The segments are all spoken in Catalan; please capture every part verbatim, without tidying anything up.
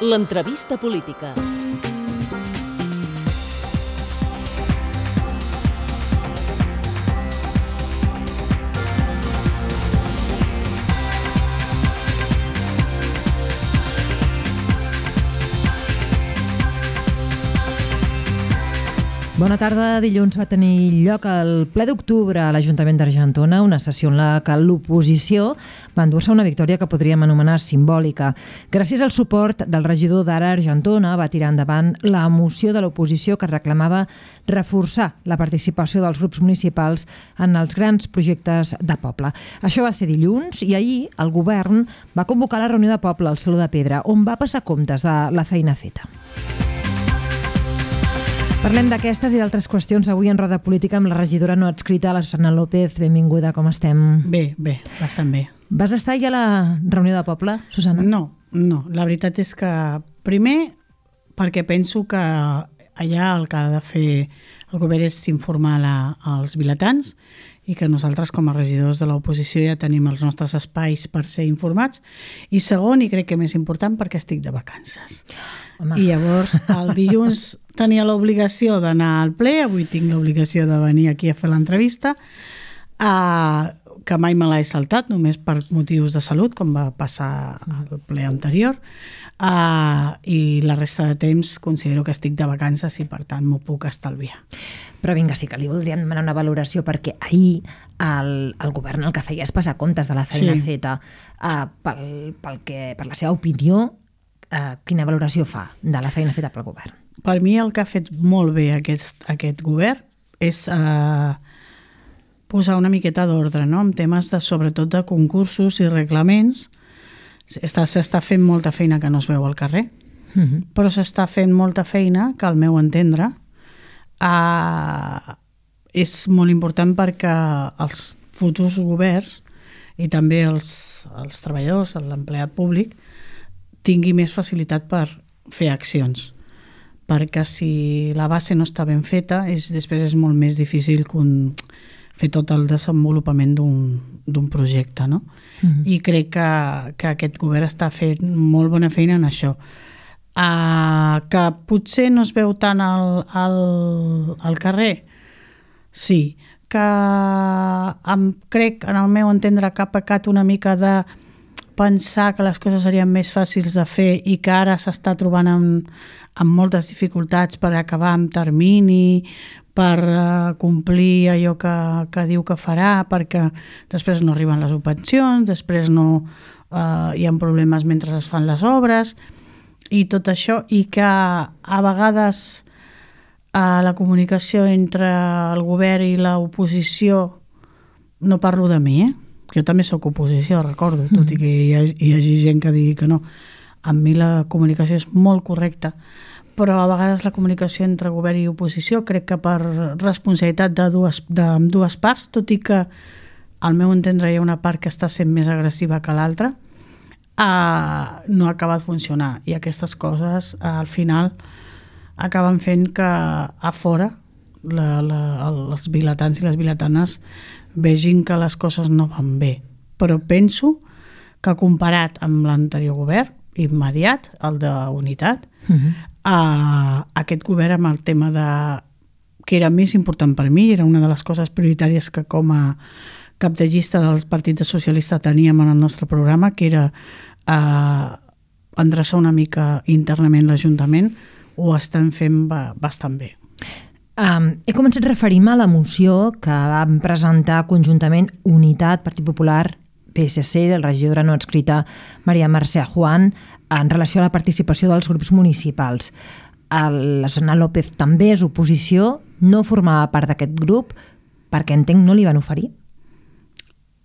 L'entrevista política. Bona tarda. Dilluns va tenir lloc el ple d'octubre a l'Ajuntament d'Argentona, una sessió en la que l'oposició va endur-se una victòria que podríem anomenar simbòlica. Gràcies al suport del regidor d'Ara Argentona va tirar endavant la moció de l'oposició que reclamava reforçar la participació dels grups municipals en els grans projectes de poble. Això va ser dilluns i ahir el govern va convocar la reunió de poble al Saló de Pedra, on va passar comptes de la feina feta. Parlem d'aquestes i d'altres qüestions avui en Roda Política amb la regidora no adscrita, la Susana López. Benvinguda, com estem? Bé, bé, bastant bé. Vas estar ja a la reunió de poble, Susana? No, no. La veritat és que, primer, perquè penso que allà el que ha de fer el govern és informar la, als vilatans i que nosaltres com a regidors de l'oposició ja tenim els nostres espais per ser informats. I segon, i crec que més important, perquè estic de vacances. Home. I llavors el dilluns tenia l'obligació d'anar al ple, avui tinc l'obligació de venir aquí a fer l'entrevista, uh, que mai me l'he saltat, només per motius de salut, com va passar al ple anterior, uh, i la resta de temps considero que estic de vacances i per tant m'ho puc estalviar. Però vinga, sí que li voldríem demanar una valoració perquè ahir el, el govern el que feia és passar comptes de la feina sí. feta uh, pel, pel que, per la seva opinió. Uh, quina valoració fa de la feina feta pel govern? Per mi el que ha fet molt bé aquest, aquest govern és uh, posar una miqueta d'ordre, no? En temes de, sobretot de concursos i reglaments. S'està, s'està fent molta feina que no es veu al carrer, uh-huh. però s'està fent molta feina que al meu entendre uh, és molt important perquè els futurs governs i també els, els treballadors, l'empleat públic, tingui més facilitat per fer accions. Perquè si la base no està ben feta, és, després és molt més difícil un, fer tot el desenvolupament d'un, d'un projecte. No? Uh-huh. I crec que, que aquest govern està fent molt bona feina en això. Uh, que potser no es veu tant al, al, al carrer? Sí. Que em, crec, en el meu entendre, que ha pecat una mica de pensar que les coses serien més fàcils de fer i que ara s'està trobant amb, amb moltes dificultats per acabar amb termini, per uh, complir allò que, que diu que farà, perquè després no arriben les subvencions, després no uh, hi ha problemes mentre es fan les obres i tot això, i que a vegades uh, la comunicació entre el govern i l'oposició, no parlo de mi, eh? Jo també soc oposició, recordo, tot i que hi, ha, hi hagi gent que digui que no. Amb mi la comunicació és molt correcta, però a vegades la comunicació entre govern i oposició crec que per responsabilitat de dues, de dues parts, tot i que al meu entendre hi ha una part que està sent més agressiva que l'altra, eh, no ha acabat de funcionar. I aquestes coses eh, al final acaben fent que a fora la, la, els vilatans i les vilatanes vegin que les coses no van bé. Però penso que comparat amb l'anterior govern immediat, el d'unitat, uh-huh. eh, aquest govern amb el tema de que era més important per mi, era una de les coses prioritàries que com a cap de llista del Partit Socialista teníem en el nostre programa, que era eh, endreçar una mica internament l'Ajuntament, ho estan fent bastant bé. Um, he començat a referir-me a la moció que vam presentar conjuntament Unitat, Partit Popular, P S C, el regidora no adscrita Maria Mercè Juan, en relació a la participació dels grups municipals. El, la Susana López també és oposició, no formava part d'aquest grup, perquè entenc no li van oferir?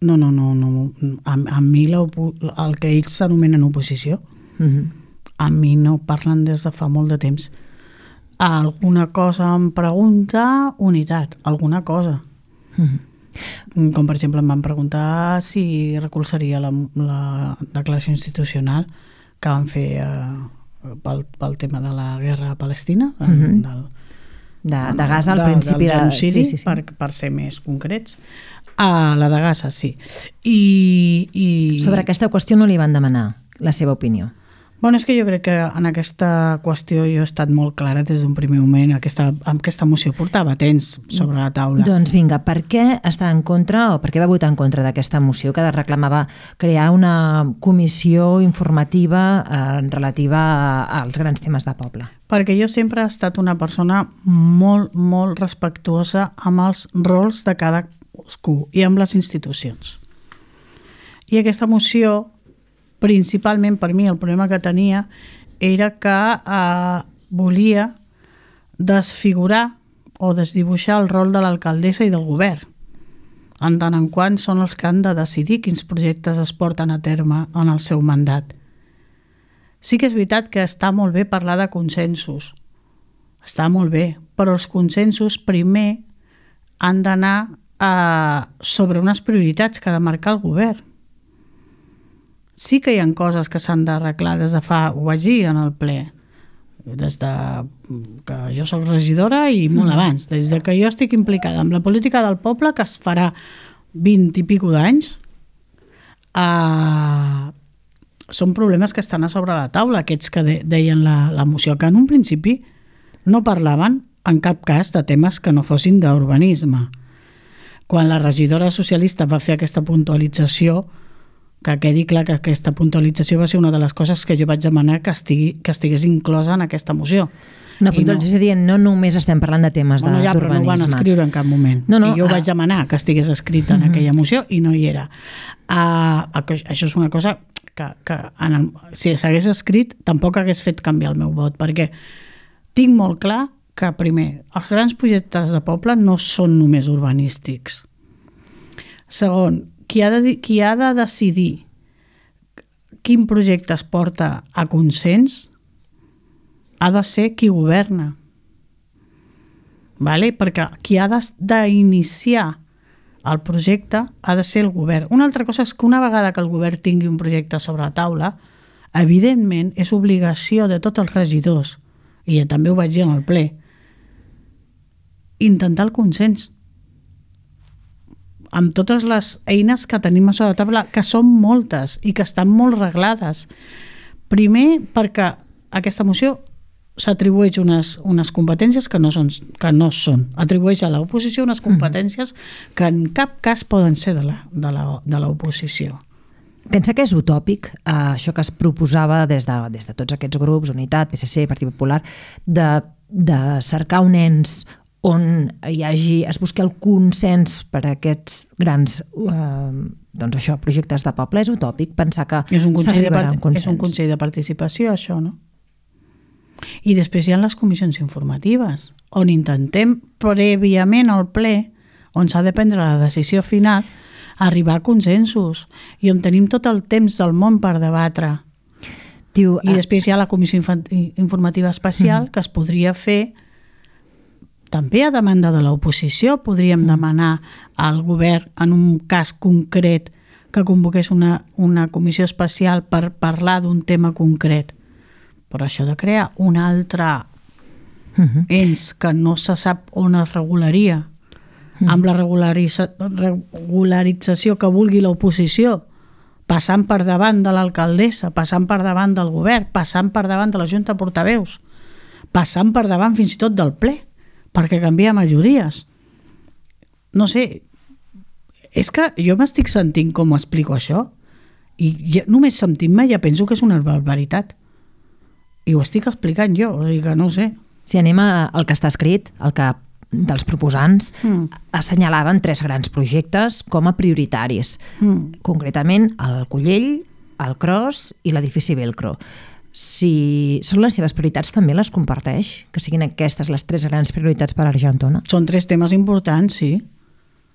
No, no, no. no. A, a mi el que ells s'anomenen oposició, uh-huh. a mi no parlen des de fa molt de temps. Alguna cosa em pregunta Unitat, alguna cosa. Mm. Com per exemple em van preguntar si recolzaria la, la declaració institucional que van fer eh, pel, pel tema de la guerra a Palestina, mm-hmm. del, de, de Gaza al de, principi del genocidi, de, sí, sí, sí. Per, per ser més concrets. Ah, la de Gaza, sí. I, i... Sobre aquesta qüestió no li van demanar la seva opinió? Bueno, és que jo crec que en aquesta qüestió jo he estat molt clara des d'un primer moment. Aquesta, amb aquesta moció portava temps sobre la taula. Doncs vinga, per què està en contra o per què va votar en contra d'aquesta moció que reclamava crear una comissió informativa eh, relativa als grans temes de poble? Perquè jo sempre he estat una persona molt, molt respectuosa amb els rols de cadascú i amb les institucions. I aquesta moció, principalment per mi, el problema que tenia era que eh, volia desfigurar o desdibuixar el rol de l'alcaldessa i del govern, en tant en quant són els que han de decidir quins projectes es porten a terme en el seu mandat. Sí que és veritat que està molt bé parlar de consensos, està molt bé, però els consensos primer han d'anar eh, sobre unes prioritats que ha de marcar el govern. Sí que hi ha coses que s'han d'arreglar des de fa, ho vaig dir en el ple, des de que jo soc regidora i molt abans, des de que jo estic implicada en la política del poble, que es farà vint i pico d'anys, eh, són problemes que estan a sobre la taula, aquests que de, deien la, la moció, que en un principi no parlaven en cap cas de temes que no fossin d'urbanisme. Quan la regidora socialista va fer aquesta puntualització, que quedi clar que aquesta puntualització va ser una de les coses que jo vaig demanar que, estigui, que estigués inclosa en aquesta moció. Una puntualització no, dient no només estem parlant de temes bueno, ja, d'urbanisme. Però no ho van escriure en cap moment. No, no, I jo ah. vaig demanar que estigués escrita en uh-huh. aquella moció i no hi era. Uh, això és una cosa que, que en el, si s'hagués escrit tampoc hagués fet canviar el meu vot, perquè tinc molt clar que, primer, els grans projectes de poble no són només urbanístics. Segon, qui ha de, qui ha de decidir quin projecte es porta a consens ha de ser qui governa. Vale? Perquè qui ha d'iniciar el projecte ha de ser el govern. Una altra cosa és que una vegada que el govern tingui un projecte sobre la taula, evidentment és obligació de tots els regidors, i ja també ho vaig dir en el ple, intentar el consens amb totes les eines que tenim a sobre la taula, que són moltes i que estan molt reglades. Primer, perquè aquesta moció s'atribueix unes, unes competències que no, són, que no són. Atribueix a l'oposició unes competències que en cap cas poden ser de la, de la, de l'oposició. Pensa que és utòpic eh, això que es proposava des de, des de tots aquests grups, Unitat, P S C, Partit Popular, de, de cercar un ens on hi hagi, es busqui el consens per a aquests grans eh, doncs això, projectes de poble. És utòpic pensar que s'arribarà a un consens. És un consell de participació, això, no? I després hi ha les comissions informatives, on intentem prèviament al ple, on s'ha de prendre la decisió final, arribar a consensos, i on tenim tot el temps del món per debatre. Diu, I després hi ha la comissió informativa especial, mm. que es podria fer també a demanda de l'oposició. Podríem demanar al govern, en un cas concret, que convoqués una, una comissió especial per parlar d'un tema concret. Però això de crear un altre uh-huh. ens que no se sap on es regularia, uh-huh. amb la regularitza, regularització que vulgui l'oposició, passant per davant de l'alcaldessa, passant per davant del govern, passant per davant de la Junta de Portaveus, passant per davant fins i tot del ple, perquè canvia majories. No sé, és que jo m'estic sentint com explico això i ja, només sentint-me ja penso que és una barbaritat. I ho estic explicant jo, o sigui que no ho sé. Si anem al que està escrit, el que dels proposants mm. assenyalaven tres grans projectes com a prioritaris. Mm. Concretament el Collell, el Cros i l'edifici Velcro. Si són les seves prioritats, també les comparteix? Que siguin aquestes les tres grans prioritats per a Argentona? Són tres temes importants, sí.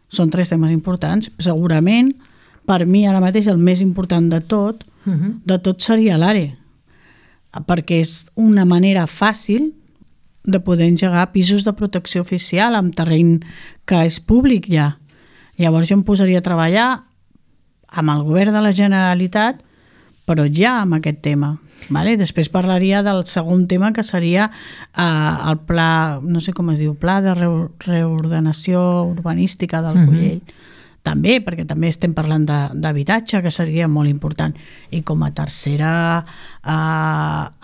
Són tres temes importants. Segurament, per mi ara mateix el més important de tot, uh-huh. de tot seria l'ARE, perquè és una manera fàcil de poder engegar pisos de protecció oficial amb terreny que és públic ja. Llavors jo em posaria a treballar amb el govern de la Generalitat, però ja amb aquest tema. Vale? Després parlaria del segon tema, que seria eh, el pla, no sé com es diu, pla de reordenació urbanística del Collell. Mm-hmm. també, perquè també estem parlant d'habitatge, que seria molt important. I com a tercera, eh,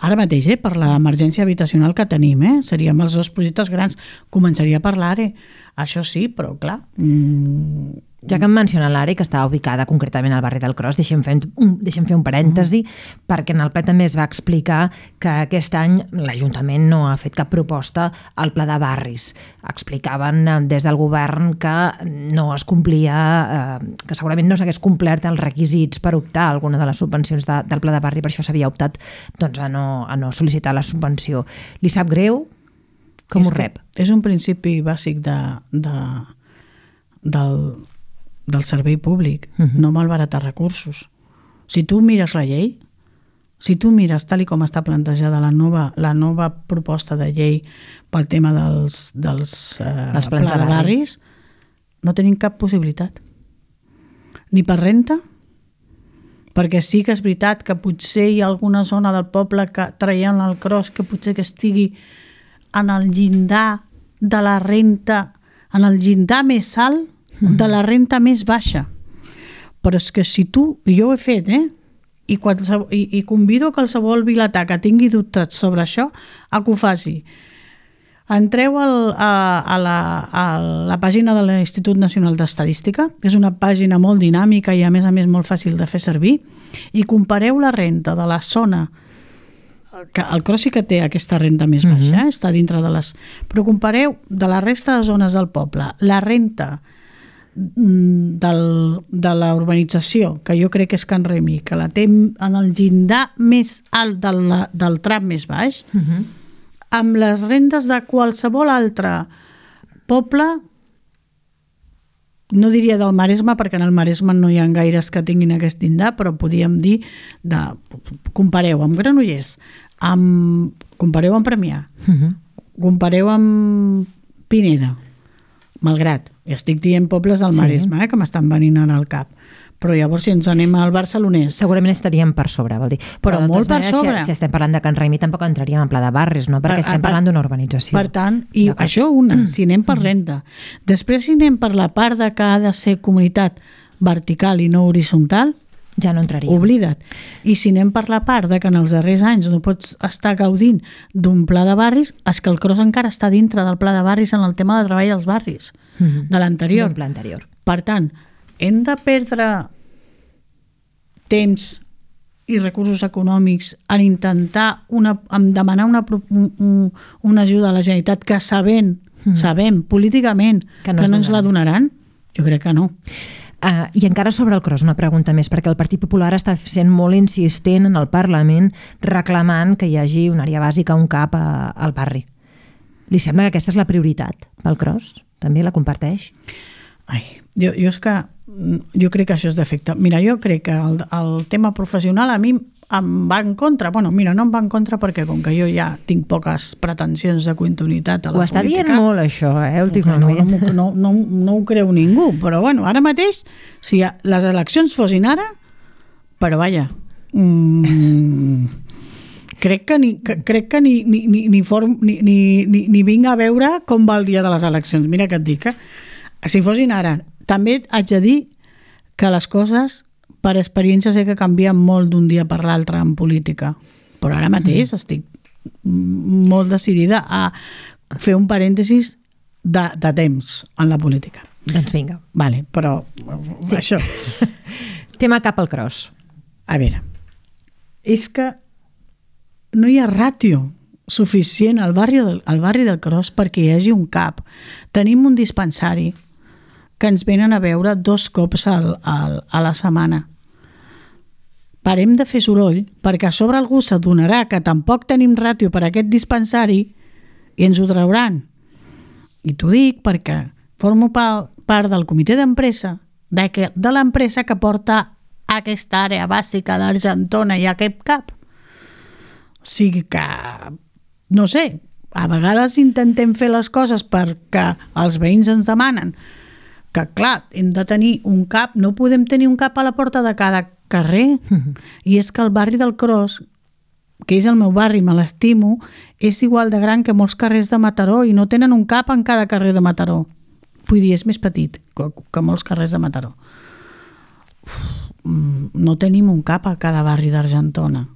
ara mateix, eh, per l'emergència habitacional que tenim, eh, seríem els dos projectes grans, començaria a parlar, eh, això sí, però clar... Mm, ja que em menciona l'àrea que està ubicada concretament al barri del Cros, deixem fer un, deixem fer un parèntesi, mm. perquè en el ple també es va explicar que aquest any l'Ajuntament no ha fet cap proposta al pla de barris. Explicaven des del govern que no es complia, eh, que segurament no s'hagués complert els requisits per optar a alguna de les subvencions de, del pla de barri, per això s'havia optat doncs, a, no, a no sol·licitar la subvenció. Li sap greu? Com és ho rep? És un principi bàsic de, de, del... del servei públic, uh-huh. no malbaratar recursos. Si tu mires la llei, si tu mires tal i com està plantejada la nova, la nova proposta de llei pel tema dels, dels, eh, dels plans de barris, no tenim cap possibilitat. Ni per renta, perquè sí que és veritat que potser hi ha alguna zona del poble que traient el Cros que potser que estigui en el llindar de la renta, en el llindar més alt de la renta més baixa. Però és que si tu, i jo ho he fet, eh? I, qualsevol, i, i convido a qualsevol vilatà que tingui dubtes sobre això a que ho faci. Entreu al, a, a, la, a la pàgina de l'Institut Nacional d'Estadística, que és una pàgina molt dinàmica i a més a més molt fàcil de fer servir, i compareu la renta de la zona, que el Cros sí que té aquesta renta més baixa, uh-huh. eh? Està dintre de les... Però compareu de la resta de zones del poble, la renta del, de la urbanització, que jo crec que és Can Remi, que la té en el llindar més alt del, del tram més baix, uh-huh. amb les rendes de qualsevol altre poble, no diria del Maresme, perquè en el Maresme no hi ha gaires que tinguin aquest llindar, però podíem dir, de, compareu amb Granollers, amb, compareu amb Premià, uh-huh. compareu amb Pineda, Malgrat, i estic dient pobles del Maresme, sí. eh, que m'estan venint al cap. Però llavors si ens anem al barcelonès... Segurament estaríem per sobre, vol dir. Però, però molt per sobre. Si, si estem parlant de Can Raimi tampoc entraríem en pla de barris, no? Perquè estem parlant d'una urbanització. Per tant, i okay. això una, si anem per renta. Després si anem per la part de que ha de ser comunitat vertical i no horitzontal, ja no entraríem. Oblida't. I si anem per la part de que en els darrers anys no pots estar gaudint d'un pla de barris, és que el Cros encara està dintre del pla de barris en el tema de treball als barris, mm-hmm. de l'anterior. D'un pla anterior. Per tant, hem de perdre temps i recursos econòmics en intentar una, en demanar una, un, una ajuda a la Generalitat que sabent, mm. sabem políticament que no, que no ens la donaran? Jo crec que no. Uh, I encara sobre el Cros, una pregunta més, perquè el Partit Popular està sent molt insistent en el Parlament reclamant que hi hagi una àrea bàsica, un CAP a, al barri. Li sembla que aquesta és la prioritat pel Cros? També la comparteix? Ai, jo, jo és que jo crec que això és defecte. Mira, jo crec que el, el tema professional a mi em va en contra. Bueno, mira, no em va en contra perquè com que jo ja tinc poques pretensions de continuïtat a la política... Ho està dient molt això, eh, últimament. No, no, no, no, no ho creu ningú, però bueno, ara mateix, si les eleccions fossin ara, però vaja, mmm, crec que ni, que, crec que ni, ni, ni, ni, form, ni, ni, ni, ni vinc a veure com va el dia de les eleccions. Mira que et dic, eh? Si fossin ara, també haig de dir que les coses... per experiència sé que canvien molt d'un dia per l'altre en política, però ara mateix mm. estic molt decidida a fer un parèntesis de, de temps en la política. Doncs vinga. Vale, però sí. Això... Tema cap al Cros. A veure, és que no hi ha ràtio suficient al barri del, al barri del Cros perquè hi hagi un CAP. Tenim un dispensari que ens venen a veure dos cops al, al, a la setmana. Parem de fer soroll perquè a sobre algú s'adonarà que tampoc tenim ràtio per a aquest dispensari i ens ho trauran. I t'ho dic perquè formo part del comitè d'empresa de, que, de l'empresa que porta aquesta àrea bàsica d'Argentona i aquest CAP. O sigui que, no sé, a vegades intentem fer les coses perquè els veïns ens demanen que, clar, hem de tenir un CAP, no podem tenir un CAP a la porta de cada carrer, mm-hmm. i és que el barri del Cros, que és el meu barri, me l'estimo, és igual de gran que molts carrers de Mataró i no tenen un CAP en cada carrer de Mataró. Vull dir, és més petit que, que molts carrers de Mataró. Uf, no tenim un cap a cada barri d'Argentona.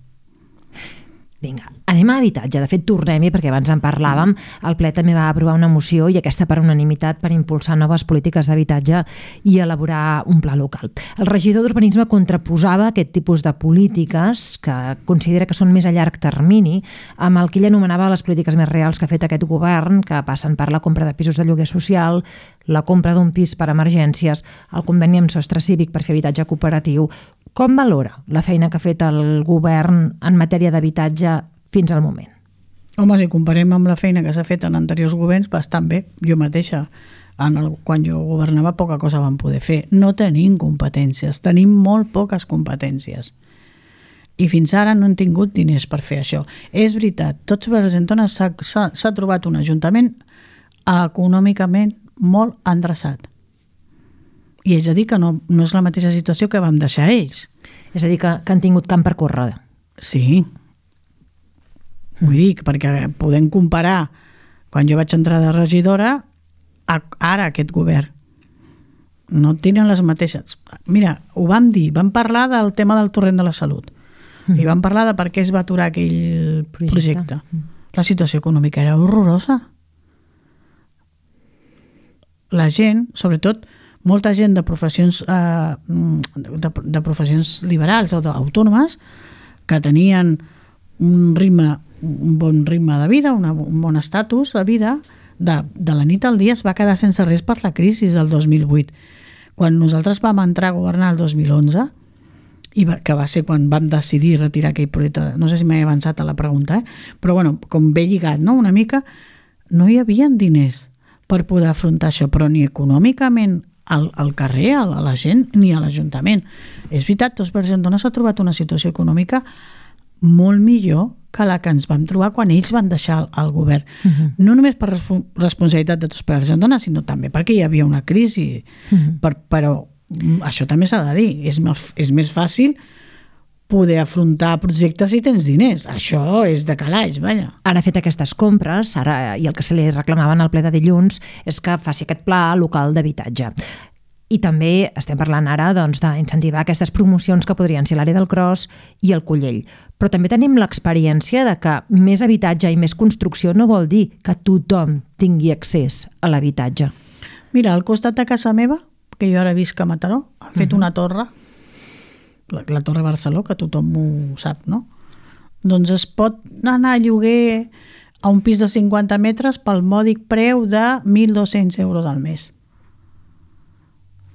Vinga, anem a habitatge. De fet, tornem-hi, perquè abans en parlàvem. El ple també va aprovar una moció, i aquesta per unanimitat, per impulsar noves polítiques d'habitatge i elaborar un pla local. El regidor d'Urbanisme contraposava aquest tipus de polítiques, que considera que són més a llarg termini, amb el que ell anomenava les polítiques més reals que ha fet aquest govern, que passen per la compra de pisos de lloguer social, la compra d'un pis per emergències, el conveni amb Sostre Cívic per fer habitatge cooperatiu. Com valora la feina que ha fet el govern en matèria d'habitatge fins al moment? Home, si comparem amb la feina que s'ha fet en anteriors governs, bastant bé. Jo mateixa, en el, quan jo governava, poca cosa vam poder fer. No tenim competències, tenim molt poques competències. I fins ara no hem tingut diners per fer això. És veritat, tots per Argentona s'ha trobat un ajuntament econòmicament molt endreçat. I és a dir que no, no és la mateixa situació que vam deixar ells. És a dir, que, que han tingut camp per córrer. Sí. Vull dir, perquè podem comparar quan jo vaig entrar de regidora a ara aquest govern. No tenen les mateixes. Mira, ho vam dir, vam parlar del tema del torrent de la salut. Mm. I vam parlar de per què es va aturar aquell projecte. projecte. La situació econòmica era horrorosa. La gent, sobretot, molta gent de professions eh, de, de professions liberals o autònomes que tenien un ritme, un bon ritme de vida, una, un bon estatus de vida, de, de la nit al dia es va quedar sense res per la crisi del dos mil vuit. Quan nosaltres vam entrar a governar el dos mil onze, i va, que va ser quan vam decidir retirar aquell projecte, no sé si m'he avançat a la pregunta, eh? Però bueno, com bé lligat, no? Una mica, no hi havia diners per poder afrontar això, però ni econòmicament al, al carrer, a la gent, ni a l'Ajuntament. És veritat, Tots per Argentona s'ha trobat una situació econòmica molt millor que la que ens vam trobar quan ells van deixar el, el govern. Uh-huh. No només per responsabilitat de Tots per Argentona, sinó també perquè hi havia una crisi. Uh-huh. per, però això també s'ha de dir. És, és més fàcil poder afrontar projectes si tens diners. Això és de calaix, vaja. Ara ha fet aquestes compres, ara, i el que se li reclamaven al ple de dilluns és que faci aquest pla local d'habitatge. I també estem parlant ara doncs, d'incentivar aquestes promocions que podrien ser l'àrea del Cros i el Collell. Però també tenim l'experiència de que més habitatge i més construcció no vol dir que tothom tingui accés a l'habitatge. Mira, al costat de casa meva, que jo ara visc a Mataró, han fet uh-huh. una torre, la, la Torre Barceló, que tothom ho sap, no? Doncs es pot anar a lloguer a un pis de cinquanta metres pel mòdic preu de mil dos-cents euros al mes.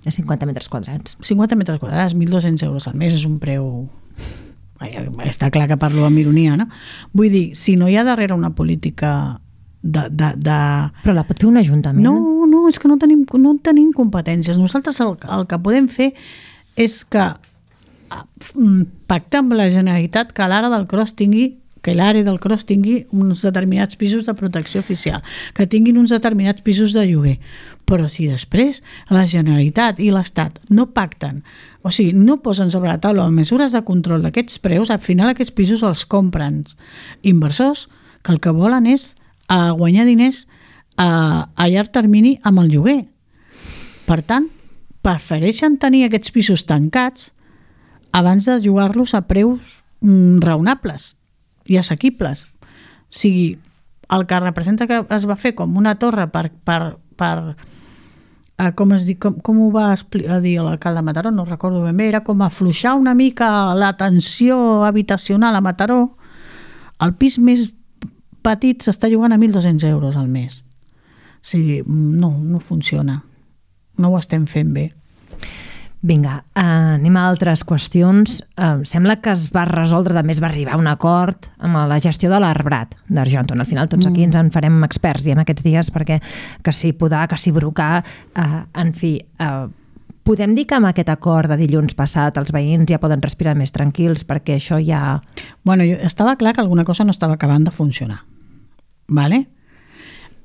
De cinquanta metres quadrats. cinquanta metres quadrats, mil dos-cents euros al mes és un preu... Està clar que parlo amb ironia, no? Vull dir, si no hi ha darrere una política de... de, de... Però la pot fer un ajuntament? No, no, és que no tenim, no tenim competències. Nosaltres el, el que podem fer és que pactar amb la Generalitat que l'àrea del Cros tingui que l'àrea del Cros tingui uns determinats pisos de protecció oficial, que tinguin uns determinats pisos de lloguer. Però si després la Generalitat i l'Estat no pacten, o sigui, no posen sobre la taula mesures de control d'aquests preus, al final aquests pisos els compren inversors que el que volen és a guanyar diners a, a llarg termini amb el lloguer. Per tant, prefereixen tenir aquests pisos tancats abans de llogar-los a preus mm, raonables i assequibles. O sigui, el que representa que es va fer com una torre per, per, per eh, com, es diu, com, com ho va dir l'alcalde de Mataró, no recordo ben bé, era com afluixar una mica la tensió habitacional a Mataró. El pis més petit s'està llogant a mil dos-cents euros al mes. O sigui, no, no funciona. No ho estem fent bé. Vinga, uh, anem a altres qüestions. Uh, sembla que es va resoldre, també es va arribar a un acord amb la gestió de l'arbrat d'Argentona. Al final tots aquí ens en farem experts, diem aquests dies, perquè que si podar, que si brocar, uh, en fi... Uh, podem dir que amb aquest acord de dilluns passat els veïns ja poden respirar més tranquils perquè això ja... Bueno, jo, estava clar que alguna cosa no estava acabant de funcionar. Vale?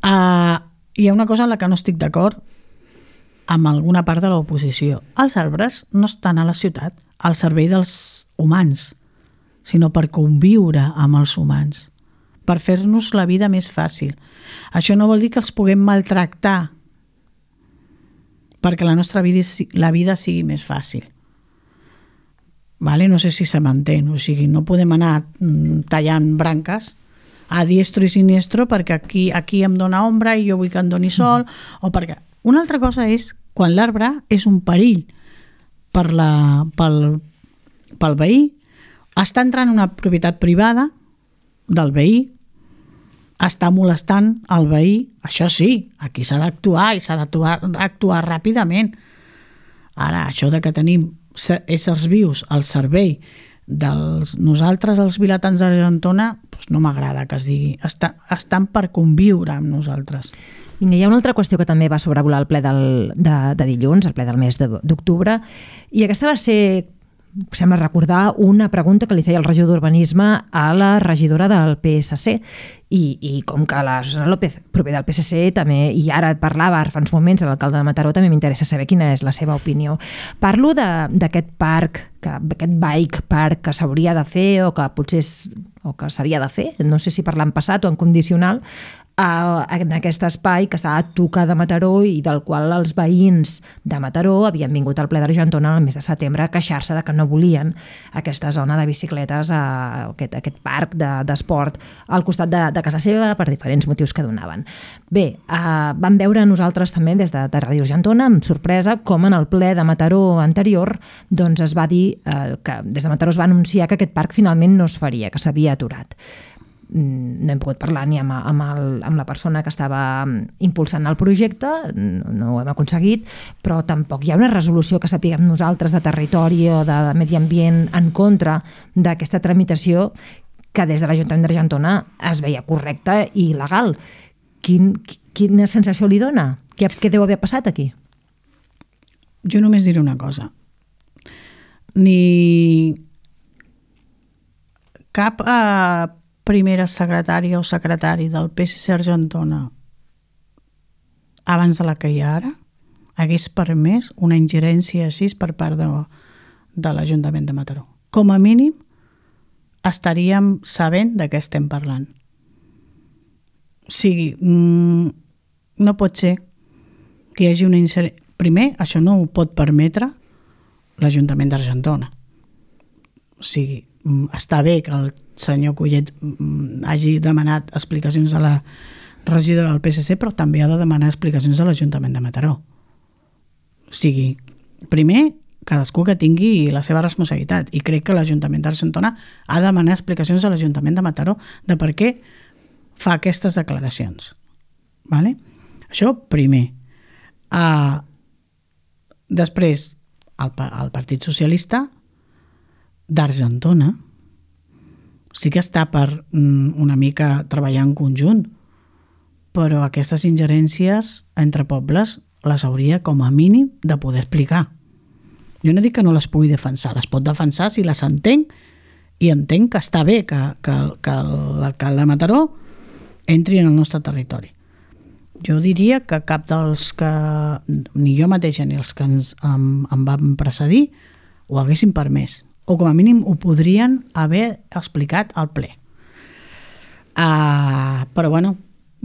Uh, hi ha una cosa en la que no estic d'acord amb alguna part de l'oposició. Els arbres no estan a la ciutat al servei dels humans, sinó per conviure amb els humans, per fer-nos la vida més fàcil. Això no vol dir que els puguem maltractar perquè la nostra vida, la vida sigui més fàcil. Vale? No sé si se m'entén, o sigui, no podem anar tallant branques a diestro i siniestro perquè aquí, aquí em dona ombra i jo vull que em doni sol, mm. o perquè... Una altra cosa és quan l'arbre és un perill per la, pel, pel veí, està entrant en una propietat privada del veí, està molestant el veí, això sí, aquí s'ha d'actuar i s'ha d'actuar actuar ràpidament. Ara, això de que tenim éssers vius al servei dels nosaltres, els vilatans d'Argentona, doncs no m'agrada que es digui. Està, estan per conviure amb nosaltres. Vinga, hi ha una altra qüestió que també va sobrevolar el ple del, de, de dilluns, el ple del mes d'octubre, i aquesta va ser, sembla recordar, una pregunta que li feia el regidor d'Urbanisme a la regidora del P S C. I, i com que la Susana López, proper del P S C, també, i ara et parlava fa uns moments a l'alcalde de Mataró, també m'interessa saber quina és la seva opinió. Parlo d'aquest parc, que, aquest bike park que s'hauria de fer o que potser és, o que s'havia de fer, no sé si per l'any passat o en condicional, a, en aquest espai que està a tocar de Mataró i del qual els veïns de Mataró havien vingut al ple d'Argentona el mes de setembre a queixar-se de que no volien aquesta zona de bicicletes, a, aquest, aquest parc d'esport de, al costat de, de casa seva per diferents motius que donaven. Bé, eh, vam veure nosaltres també des de, de Ràdio Argentona, amb sorpresa, com en el ple de Mataró anterior doncs es va dir eh, que des de Mataró es va anunciar que aquest parc finalment no es faria, que s'havia aturat. No hem pogut parlar ni amb, amb, el, amb la persona que estava impulsant el projecte, no, no ho hem aconseguit, però tampoc hi ha una resolució que sapiguem nosaltres de territori o de medi ambient en contra d'aquesta tramitació que des de l'Ajuntament d'Argentona es veia correcta i legal. Quin, quina sensació li dona? Què, què deu haver passat aquí? Jo només diré una cosa. Ni cap eh, primera secretària o secretari del P S C Argentona abans de la que hi ha ara hagués permès una ingerència així per part de, de l'Ajuntament de Mataró. Com a mínim estaríem sabent de què estem parlant. O sigui, no pot ser que hi hagi una ingerència. Primer, això no ho pot permetre l'Ajuntament d'Argentona. O sigui, està bé que el senyor Collet hagi demanat explicacions a la regidora del P S C, però també ha de demanar explicacions a l'Ajuntament de Mataró. O sigui, primer, cadascú que tingui la seva responsabilitat, i crec que l'Ajuntament d'Argentona ha de demanar explicacions a l'Ajuntament de Mataró de per què fa aquestes declaracions. Vale? Això primer. Uh, després, el, el Partit Socialista d'Argentona sí que està per una mica treballar en conjunt, però aquestes ingerències entre pobles les hauria com a mínim de poder explicar. Jo no dic que no les pugui defensar, les pot defensar si les entenc, i entenc que està bé que, que, que l'alcalde de Mataró entri en el nostre territori. Jo diria que cap dels que, ni jo mateixa ni els que ens, em, em van precedir, ho haguessin permès, o com a mínim ho podrien haver explicat al ple. Uh, però bueno,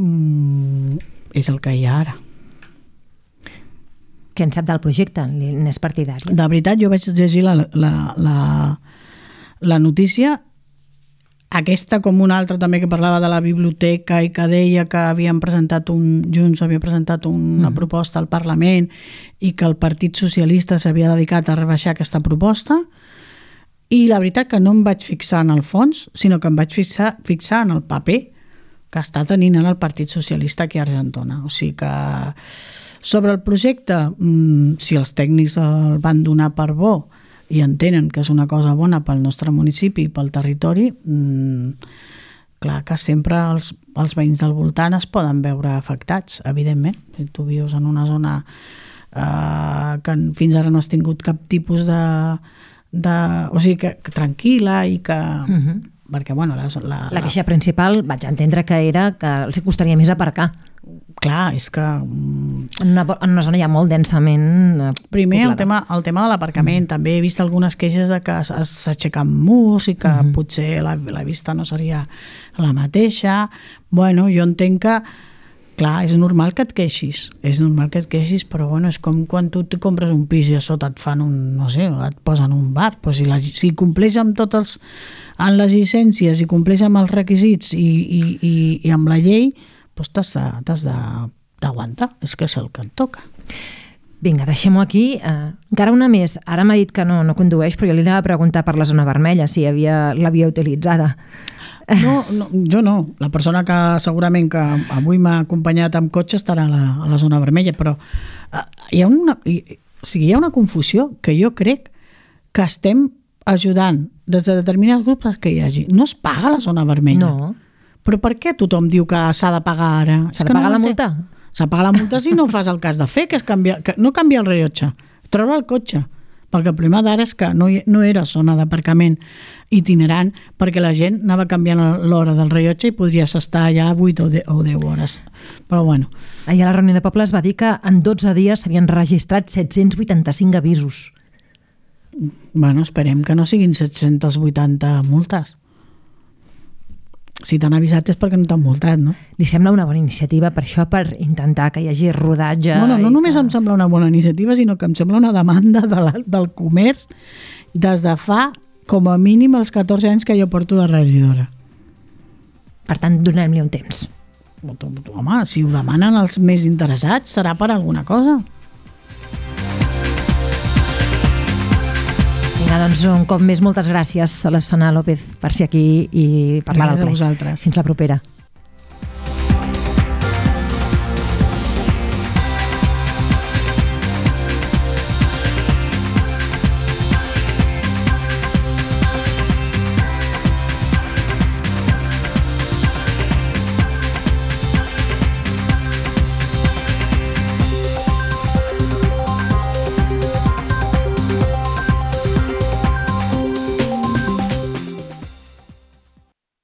mm, és el que hi ha ara. Què en sap del projecte? N'és partidari? De veritat, jo vaig llegir la, la, la, la notícia, aquesta com una altra també que parlava de la biblioteca i que deia que havien presentat un, Junts havia presentat una mm. proposta al Parlament i que el Partit Socialista s'havia dedicat a rebaixar aquesta proposta, i la veritat que no em vaig fixar en el fons, sinó que em vaig fixar, fixar en el paper que està tenint el Partit Socialista aquí a Argentona. O sigui que sobre el projecte, si els tècnics el van donar per bo i entenen que és una cosa bona pel nostre municipi i pel territori, clar que sempre els, els veïns del voltant es poden veure afectats, evidentment. Si tu vius en una zona eh, que fins ara no has tingut cap tipus de... de o sigui, que, que tranquil·la i que... Uh-huh. Perquè, bueno, la, la, la queixa principal vaig entendre que era que els costaria més aparcar. Clar, és que... En una, en una zona ja molt densament primer el tema, el tema de l'aparcament. Mm. També he vist algunes queixes de que s'aixequen murs i que mm. potser la, la vista no seria la mateixa. Bueno, jo entenc que, clar, és normal que et queixis, és normal que et queixis, però bueno, és com quan tu te compres un pis i a sota et fan un, no sé, et posen un bar, però si, la, si compleix amb tots els, amb les llicències i compleix amb els requisits i, i, i, i amb la llei, doncs t'has de, t'has de, d'aguantar, és que és el que et toca. Vinga, deixem-ho aquí. Uh, encara una més. Ara m'ha dit que no, no condueix, però jo li anava a preguntar per la zona vermella, si havia, l'havia utilitzada. No, no, jo no. La persona que segurament que avui m'ha acompanyat amb cotxe estarà a la, a la zona vermella, però uh, hi ha una, hi, o sigui, hi ha una confusió que jo crec que estem ajudant des de determinats grups que hi hagi. No es paga la zona vermella. No. Però per què tothom diu que s'ha de pagar ara? S'ha de pagar no la multa? S'ha de pagar la multa si no fas el que has de fer, que és canviar, que no canviar el rellotge, treure el cotxe. Perquè el problema d'ara és que no, hi, no era zona d'aparcament itinerant, perquè la gent anava canviant l'hora del rellotge i podries estar allà vuit o deu hores. Però bueno. Ahir a la reunió de poble es va dir que en dotze dies s'havien registrat set-cents vuitanta-cinc avisos. Bueno, esperem que no siguin set-cents vuitanta multes. Si t'han avisat és perquè no t'han multat, no? Li sembla una bona iniciativa per això, per intentar que hi hagi rodatge? Bueno, no només que... em sembla una bona iniciativa, sinó que em sembla una demanda de la, del comerç des de fa com a mínim els catorze anys que jo porto de regidora. Per tant, donem-li un temps. Home, si ho demanen els més interessats, serà per alguna cosa. Vinga, doncs un cop més moltes gràcies a la Susana López per ser aquí i parlar del ple. Gràcies a vosaltres. Fins la propera.